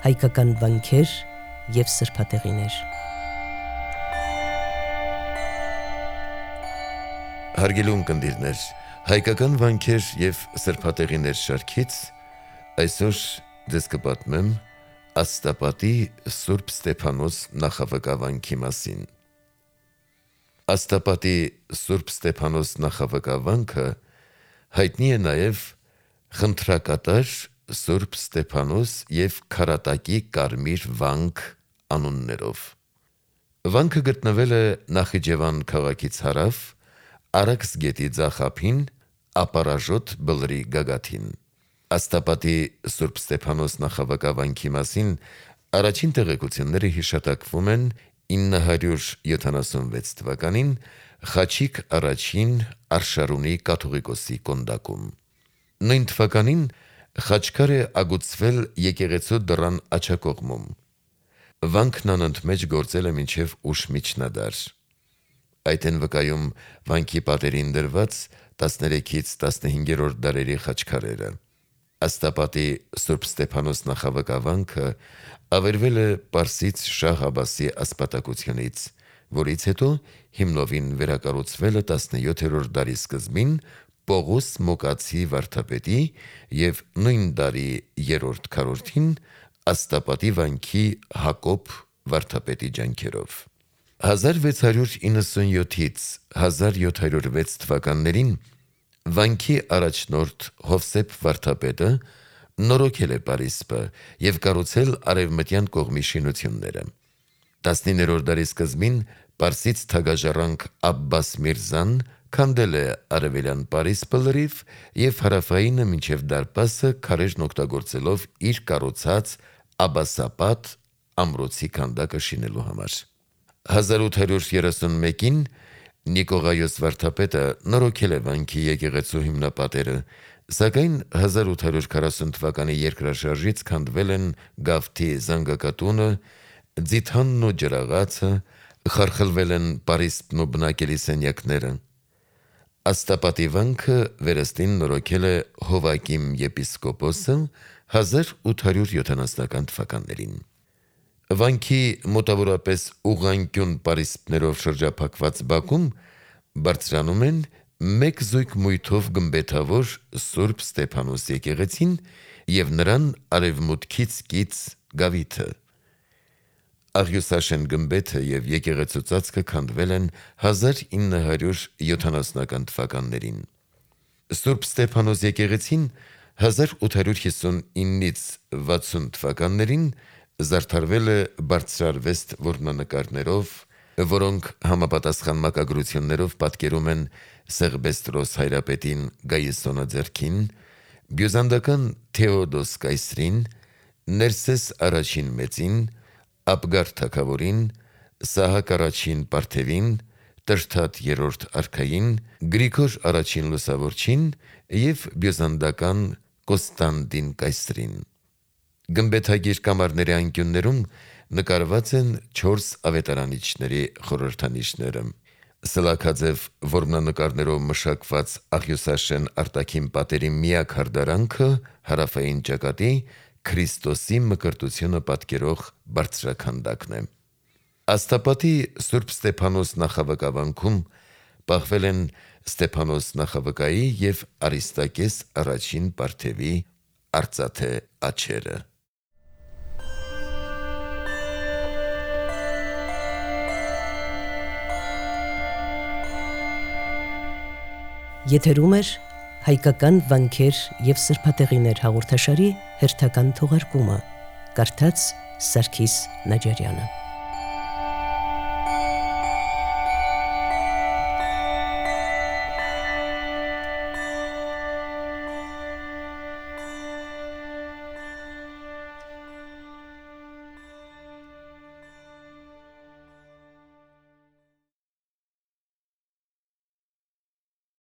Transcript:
հայկական վանքեր և սրբատեղիներ։ Հարգելի ունկնդիրներ, հայկական վանքեր և սրբատեղիներ շարքից այսօր ձեզ կպատմեմ Աստապատի Սուրբ Ստեփանոս նախավկավանքի մասին։ Աստապատի Սուրբ Ստեփանոս նախավկավանքը հայտնի է նաև խնդրակատար Սուրբ Ստեփանոս և քարատակի կարմիր վանք անուններով։ Վանքը գտնվել է Նախիջևան քաղաքից հարավ, Արաքս գետի ձախ ափին, Ապարաժոտ բլրի գագաթին։ Աստապատի Սուրբ Ստեփանոս նախավկավանքի մասին առաջին տեղեկությունները հիշատակվում են 976 թվականին Խաչիկ առաջին Արշարունի կաթողիկոսի կոնդակում։ Նույն թվականին խաչքար է ագուցվել եկեղեցու դռան աջակողմում։ Վանքն անընդմեջ գործել է մինչև ուշ միջնադար։ Այդ են վկայում վանքի պատերին դրված 13-ից 15-րդ դարերի խաչքարերը։ Աստապատի Սուրբ Ստեփանոս նախավկավանքը ավերվել է պարսից Շահ Աբասի ասպատակությունից, որից հետո հիմնովին վերակառուցվել է 17-րդ դարի սկզբին Պողոս Մոկացի վարդապետի և նույն դարի 3-րդ քառորդին Աստապատի վանքի Հակոբ վարդապետի ջանքերով։ 1697-ից 1706 թվականներին վանքի առաջնորդ Հովսեփ վարդապետը նորոգել է պարիսպը և կառուցել արևմտյան կողմի շինությունները։ 19-րդ դարի սկզբին պարսից թագաժառանգ Աբբաս Միրզան քանդել է արևելյան պարիսպը լրիվ և հարավայինը մինչև դարպասը քարերն օգտագործելով իր կառուցած Աբասապատ ամրոցի քանդակը շինելու համար։ 1831-ին Նիկողայոս վարդապետը նորոգել է վանքի եկեղեցու հիմնապատերը, սակայն 1840 թվականի երկրաշարժից քանդվել են գավթի զանգակատունը, ձիթանն ու ջրաղացը, խարխլվել են պարիսպն ու բնակելի սենյակները։ Աստապատի վանքը վերստին նորոգել է Հովակիմ եպիսկոպոսը 1870 թվականներին։ Վանքի մոտավորապես ուղղանկյուն պարիսպներով շրջափակված բակում բարձրանում են մեկ զույգ մույթով գմբեթավոր Սուրբ Ստեփանոս եկեղեցին և նրան արևմուտքից կից գավիթը։ Աղյուսաշեն գմբեթը և եկեղեցու ծածկը քանդվել են 1970 թվականներին։ Սուրբ Ստեփանոս եկեղեցին 1859-ից 60 թվականներին զարդարվել է բարձրարվեստ որմնանկարներով, որոնք համապատասխան մակագրություններով պատկերում են Սեղբեստրոս հայրապետին Գայիսոնա ձեռքին, բյուզանդական Թեոդոս կայսրին, Ներսես առաջին մեծին, Աբգար թագավորին, Սահակ առաջին պարթևին, Տրդատ երրորդ արքային, Գրիգոր առաջին լուսավորչին և բյուզանդական Կոստանդին կայսրին։ Գմբեթագիր կամարների անկյուններում նկարված են 4 ավետարանիչների խորհրդանիշները։ Սլաքաձև որմնանկարներով մշակված աղյուսաշեն արտաքին պատերի միակ հարդարանքը հարավային ճակատի Քրիստոսի մկրտությունը պատկերող բարձրաքանդակն է։ Աստապատի Սուրբ Ստեփանոս նախավկավանքում պահվել են Ստեփանոս նախավկայի և Արիստակես առաջին պարթևի արծաթե աջերը։ Եթերում է հայկական վանքեր և սրբատեղիներ հաղորդաշարի հերթական թողարկումը։ Կարդաց Սարգիս Նաջարյանը։